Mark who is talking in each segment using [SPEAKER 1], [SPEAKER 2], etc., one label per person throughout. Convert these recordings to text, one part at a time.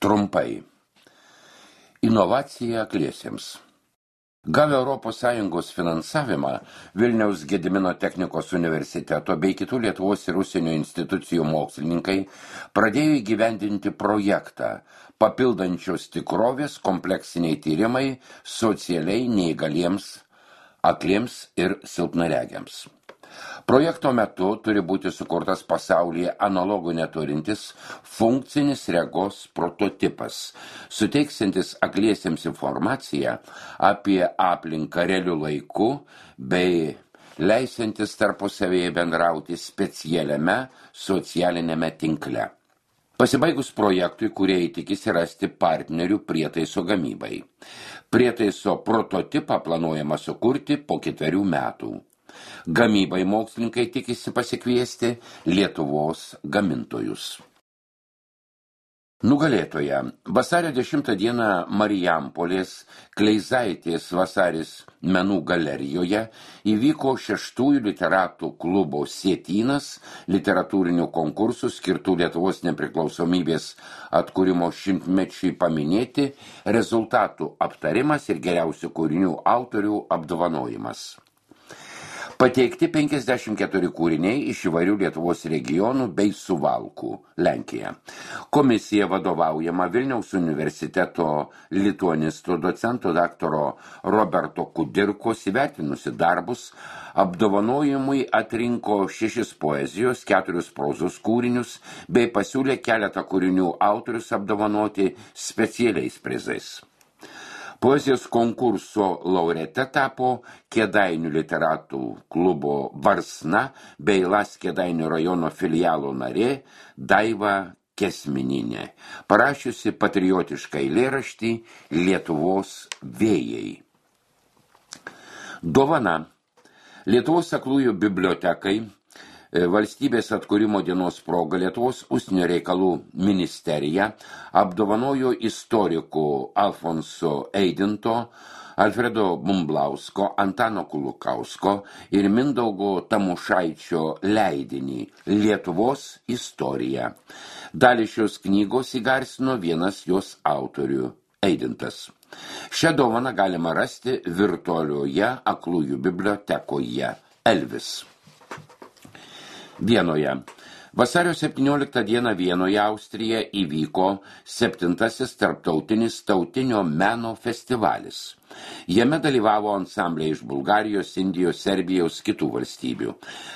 [SPEAKER 1] Trumpai. Inovacija akliesiems. Gavę ES finansavimą, Vilniaus Gedimino technikos universiteto bei kitų Lietuvos ir užsienio institucijų mokslininkai pradėjo įgyvendinti projektą papildančios tikrovės kompleksiniai tyrimai socialiai neįgaliems, akliems ir silpnaregiams. Projekto metu turi būti sukurtas pasaulyje analogų neturintis funkcinis regos prototipas, suteiksintis akliesiems informaciją apie aplinką realiu laiku bei leisantis tarpusavėje bendrauti specialiame socialinėme tinkle. Pasibaigus projektui, kūrėjai tikisi rasti partnerių prietaiso gamybai. Prietaiso prototipą planuojama sukurti po 4 metų. Gamybai mokslininkai tikisi pasikviesti Lietuvos gamintojus. Nugalėtoja. Vasario 10 dieną Marijampolės Kleizaitės Vasaris menų galerijoje įvyko 6 literatų klubo Sietynas literatūrinių konkursų skirtų Lietuvos nepriklausomybės atkūrimo 100-mečiui paminėti, rezultatų aptarimas ir geriausių kūrinių autorių apdovanojimas. Pateikti 54 kūriniai iš įvairių Lietuvos regionų bei Suvalkų, Lenkija. Komisija vadovaujama Vilniaus universiteto lituanistų docento daktaro Roberto Kudirkos įvertinusi darbus, apdovanojimui atrinko 6 poezijos, 4 prozos kūrinius bei pasiūlė keletą kūrinių autorius apdovanoti specialiais prizais. Poezijos konkurso laureate tapo Kėdainių literatų klubo Varsna bei Las Kėdainių rajono filialo narė Daiva Kesmininė, parašiusi patriotišką eilėraštį Lietuvos vėjai. Dovana. Lietuvos aklųjų bibliotekai Valstybės atkūrimo dienos proga Lietuvos užsienio reikalų ministerija apdovanojo istorikų Alfonso Eidinto, Alfredo Bumblausko, Antano Kulukausko ir Mindaugo Tamušaičio leidinį Lietuvos istorija. Dalį šios knygos įgarsino vienas jos autorių Eidintas. Šią dovaną galima rasti virtualioje aklųjų bibliotekoje Elvis. Vienoje. Vasario 17 dieną Vienoje, Austrija, įvyko 7. tarptautinis tautinio meno festivalis. Jame dalyvavo ansambliai iš Bulgarijos, Indijos, Serbijos, kitų valstybių.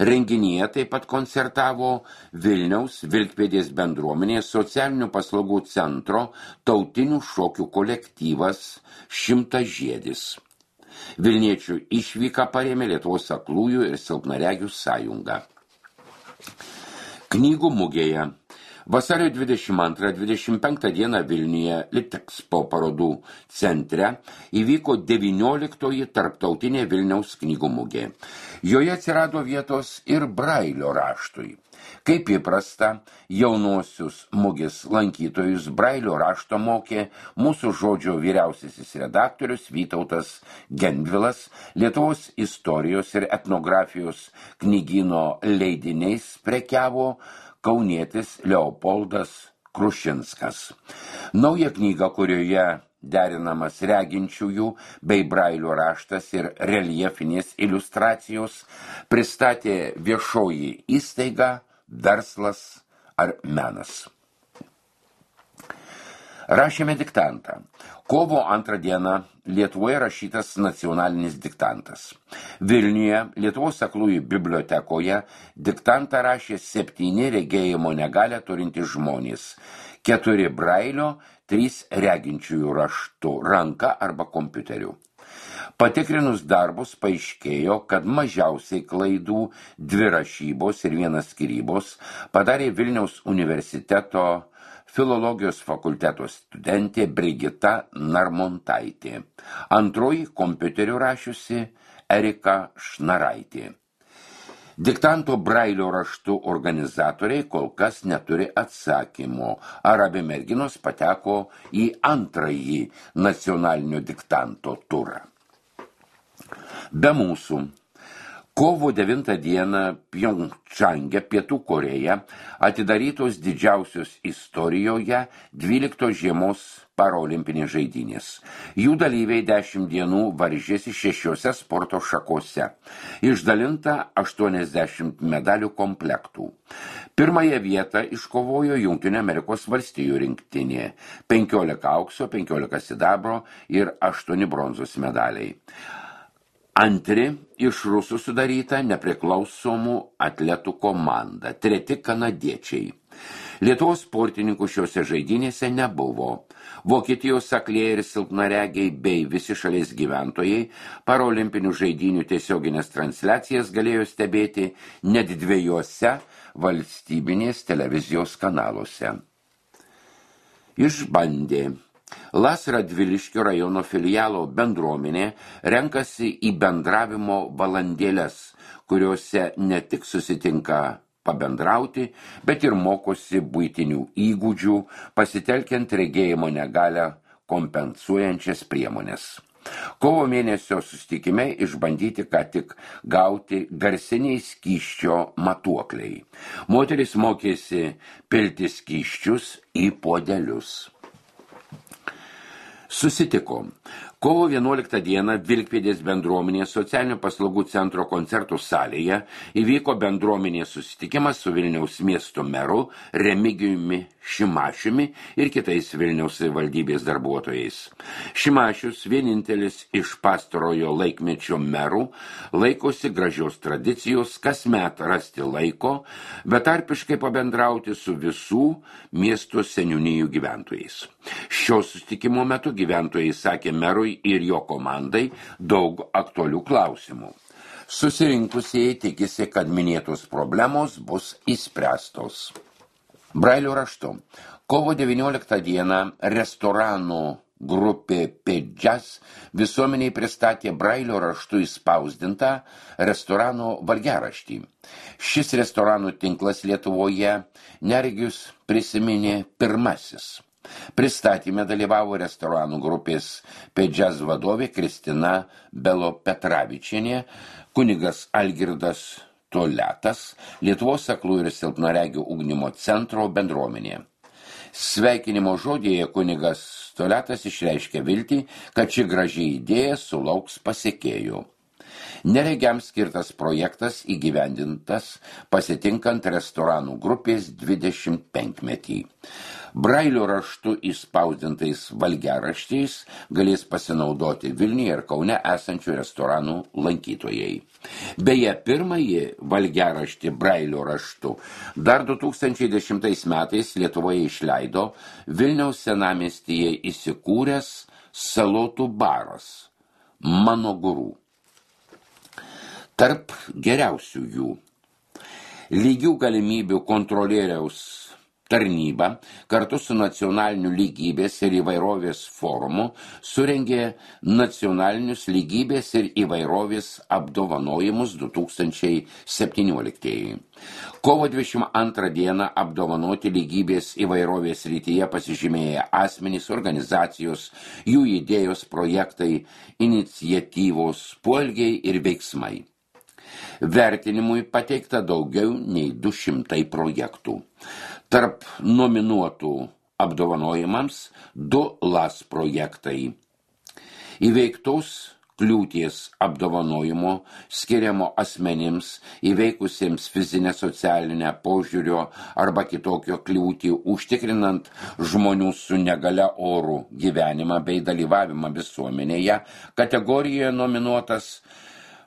[SPEAKER 1] Renginyje taip pat koncertavo Vilniaus Vilkpėdės bendruomenės socialinių paslaugų centro tautinių šokių kolektyvas 100 žiedis. Vilniečių išvyką parėmė Lietuvos aklųjų ir silpnaregių sąjunga. Knygų mugėje. Vasario 22-25 dieną Vilniuje Litexpo parodų centre įvyko 19 tarptautinė Vilniaus knygų mugė. Joje atsirado vietos ir Brailio raštui. Kaip įprasta, jaunuosius mugės lankytojus Brailio rašto mokė mūsų žodžio vyriausiasis redaktorius Vytautas Gendvilas, Lietuvos istorijos ir etnografijos knygyno leidiniais prekiavo kaunietis Leopoldas Krušinskas. Nauja knyga, kurioje derinamas reginčiųjų bei Brailio raštas ir reljefinės iliustracijos, pristatė viešoji įstaiga, verslas ar menas. Rašėme diktantą. Kovo 2 dieną Lietuvoje rašytas nacionalinis diktantas. Vilniuje, Lietuvos aklųjų bibliotekoje, diktantą rašė 7 regėjimo negalią turintys žmonės, 4 Brailio, 3 reginčiųjų raštu, ranka arba kompiuteriu. Patikrinus darbus paaiškėjo, kad mažiausiai klaidų 2 rašybos ir 1 skyrybos padarė Vilniaus universiteto filologijos fakulteto studentė Brigita Narmontaitė. Antroji kompiuteriu rašiusi Erika Šnaraitė. Diktanto Brailio raštų organizatoriai kol kas neturi atsakymo, ar abi merginos pateko į antrąjį nacionalinio diktanto turą. Be mūsų. Kovo 9 dieną Pjongčange, Pietų Koreja, atidarytos didžiausios istorijoje 12 žiemos parolimpinės žaidynės. Jų dalyviai 10 dienų varžėsi 6 sporto šakose. Išdalinta 80 medalių komplektų. Pirmąją vietą iškovojo Jungtinių Amerikos valstijų rinktinė. 15 aukso, 15 sidabro ir 8 bronzos medaliai. Antri iš rusų sudaryta nepriklausomų atletų komanda, treti kanadiečiai. Lietuvos sportininkų šiuose žaidynėse nebuvo. Vokietijos aklieji ir silpnaregiai bei visi šalies gyventojai parolimpinių žaidynių tiesioginės transliacijas galėjo stebėti net 2 valstybinės televizijos kanaluose. Išbandė. Las Radviliškio rajono filialo bendruomenė renkasi į bendravimo valandėles, kuriuose ne tik susitinka pabendrauti, bet ir mokosi buitinių įgūdžių, pasitelkiant regėjimo negalią kompensuojančias priemonės. Kovo mėnesio susitikime išbandyti ką tik gauti garsiniai skysčio matuokliai. Moteris mokėsi pilti skysčius į puodelius. Susitiko. Kovo 11 dieną Vilkpėdės bendruomenės socialinių paslaugų centro koncertų salėje įvyko bendruomenės susitikimas su Vilniaus miesto meru Remigijumi Šimašiumi ir kitais Vilniaus savivaldybės darbuotojais. Šimašius, vienintelis iš pastarojo laikmečio merų, laikosi gražios tradicijos kasmet rasti laiko, betarpiškai pabendrauti su visų miesto seniūnijų gyventojais. Šio susitikimo metu gyventojai sakė merui ir jo komandai daug aktualių klausimų. Susirinkusieji tikisi, kad minėtos problemos bus išspręstos. Brailio raštu. Kovo 19 dieną restoranų grupė Pedžas visuomeniai pristatė Brailio raštu įspausdintą restoranų valgiaraštį. Šis restoranų tinklas Lietuvoje neregius prisiminė pirmasis. Pristatyme dalyvavo restoranų grupės Pedžas vadovė Kristina Belopetravičienė, kunigas Algirdas Toletas, Lietuvos aklųjų ir silpnaregių ugdymo centro bendruomenė. Sveikinimo žodėje kunigas Toletas išreiškė viltį, kad ši graži idėja sulauks pasekėjų. Neregiams skirtas projektas įgyvendintas pasitinkant restoranų grupės 25-metį. Brailio raštu įspausdintais valgiaraščiais galės pasinaudoti Vilniuje ir Kaune esančių restoranų lankytojai. Beje, pirmąjį valgiaraštį Brailio raštu dar 2010 metais Lietuvoje išleido Vilniaus senamiestyje įsikūręs salotų baras Mano gurų. Tarp geriausių jų lygių galimybių kontrolieriaus tarnyba kartu su nacionaliniu lygybės ir įvairovės forumu surengė nacionalinius lygybės ir įvairovės apdovanojimus 2017. Kovo 22 dieną apdovanoti lygybės įvairovės srityje pasižymėję asmenys, organizacijos, jų idėjos, projektai, iniciatyvos, poelgiai ir veiksmai. Vertinimui pateikta daugiau nei 200 projektų. Tarp nominuotų apdovanojimams 2 LAS projektai. Įveiktos kliūties apdovanojimo skiriamo asmenims įveikusiems fizinę, socialinę, požiūrio arba kitokio kliūtį, užtikrinant žmonių su negalia orų gyvenimą bei dalyvavimą visuomenėje, kategorijoje nominuotas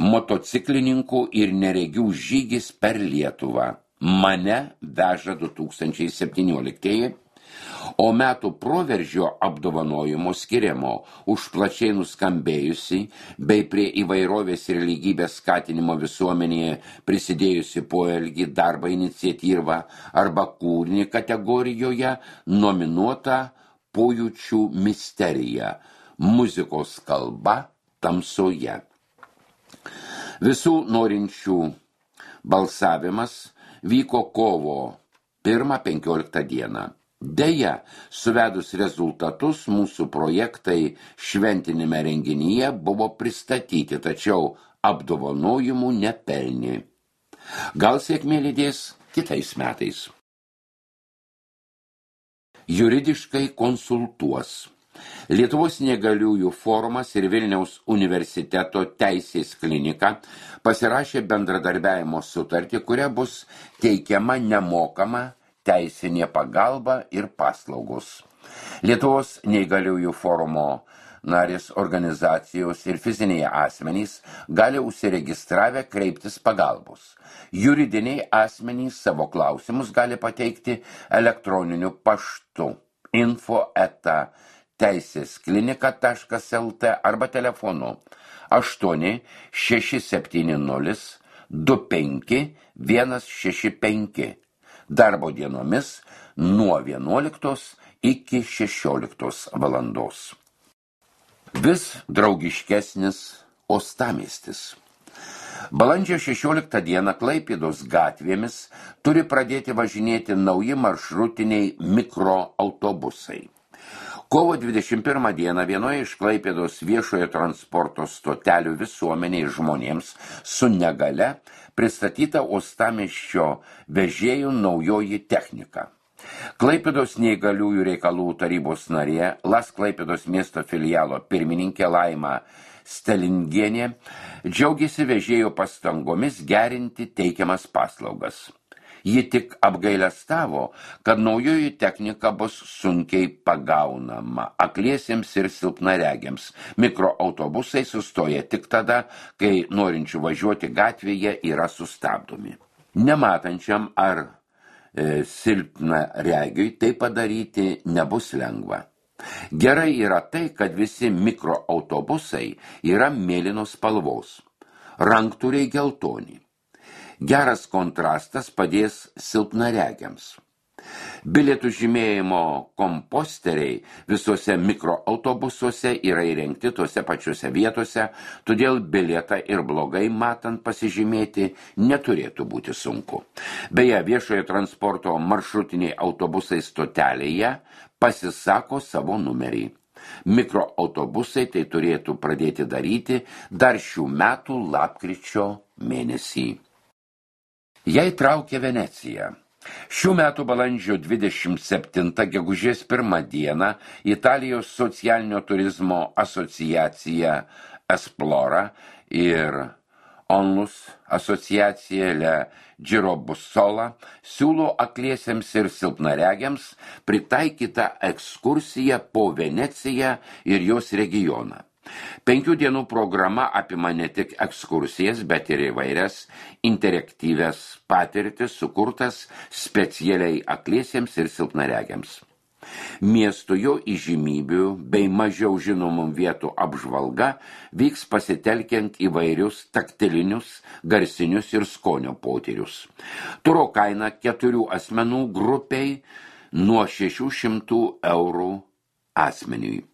[SPEAKER 1] motociklininkų ir neregių žygis per Lietuvą. Mane veža 2017, o metų proveržio apdovanojimo skiriamo už plačiai nuskambėjusi bei prie įvairovės ir lygybės skatinimo visuomenėje prisidėjusi poelgį, darbą, iniciatyvą arba kūrinį kategorijoje nominuota Pojūčių misterija – muzikos kalba tamsoje. Visų norinčių balsavimas vyko kovo 1-15 dieną. Deja, suvedus rezultatus, mūsų projektai šventinėme renginyje buvo pristatyti, tačiau apdovanojimų nepelnė. Gal sėkmė lydės kitais metais. Juridiškai konsultuos. Lietuvos neįgaliųjų forumas ir Vilniaus universiteto teisės klinika pasirašė bendradarbiavimo sutartį, kuria bus teikiama nemokama teisinė pagalba ir paslaugos. Lietuvos neįgaliųjų forumo narės organizacijos ir fiziniai asmenys gali užsiregistravę kreiptis pagalbos. Juridiniai asmenys savo klausimus gali pateikti elektroniniu paštu info@teisesklinika.lt arba telefonu 8 670 25 165 darbo dienomis nuo 11 iki 16 valandos. Vis draugiškesnis uostamiestis. Balandžio 16 dieną Klaipėdos gatvėmis turi pradėti važinėti nauji maršrutiniai mikroautobusai. Kovo 21 dieną vienoje iš Klaipėdos viešojo transporto stotelių visuomeniai žmonėms su negalia pristatyta uostamiesčio vežėjų naujoji technika. Klaipėdos neįgaliųjų reikalų tarybos narė, LAS Klaipėdos miesto filialo pirmininkė Laima Stelingienė džiaugiasi vežėjų pastangomis gerinti teikiamas paslaugas. Ji tik apgailestavo, kad naujoji technika bus sunkiai pagaunama akliesiems ir silpnaregiams. Mikroautobusai sustoja tik tada, kai norinčių važiuoti gatvėje yra sustabdomi. Nematančiam ar silpnaregiui tai padaryti nebus lengva. Gerai yra tai, kad visi mikroautobusai yra mėlynos spalvos, ranktūriai geltoni. Geras kontrastas padės silpnaregiams. Bilietų žymėjimo komposteriai visuose mikroautobusuose yra įrengti tuose pačiuose vietose, todėl bilietą ir blogai matant pasižymėti neturėtų būti sunku. Beje, viešojo transporto maršrutiniai autobusai stotelėje pasisako savo numerį. Mikroautobusai tai turėtų pradėti daryti dar šių metų lapkričio mėnesį. Jei traukia Venecija. Šių metų balandžio 27 gegužės 1 dieną Italijos socialinio turizmo asociacija Esplora ir Onlus asociacija Le Giro Bussola siūlo akliesiems ir silpnaregiams pritaikytą ekskursiją po Veneciją ir jos regioną. 5 dienų programa apima ne tik ekskursijas, bet ir įvairias interaktyvias patirtis sukurtas specialiai akliesiems ir silpnaregiams. Miesto jo įžymybių bei mažiau žinomų vietų apžvalga vyks pasitelkiant įvairius taktilinius, garsinius ir skonio potyrius. Turo kaina 4 asmenų grupiai nuo 600 eurų asmeniui.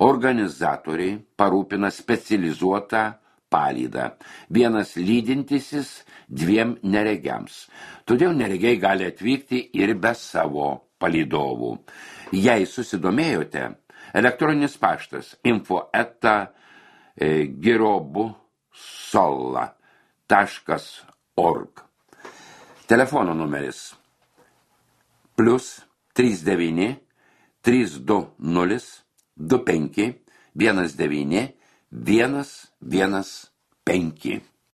[SPEAKER 1] Organizatoriai parūpina specializuotą palydą. Vienas lydintisis 2 neregiams. Todėl neregiai gali atvykti ir be savo palydovų. Jei susidomėjote, elektroninis paštas info@girobusola.org. Telefono numeris +39 320 25 19 115.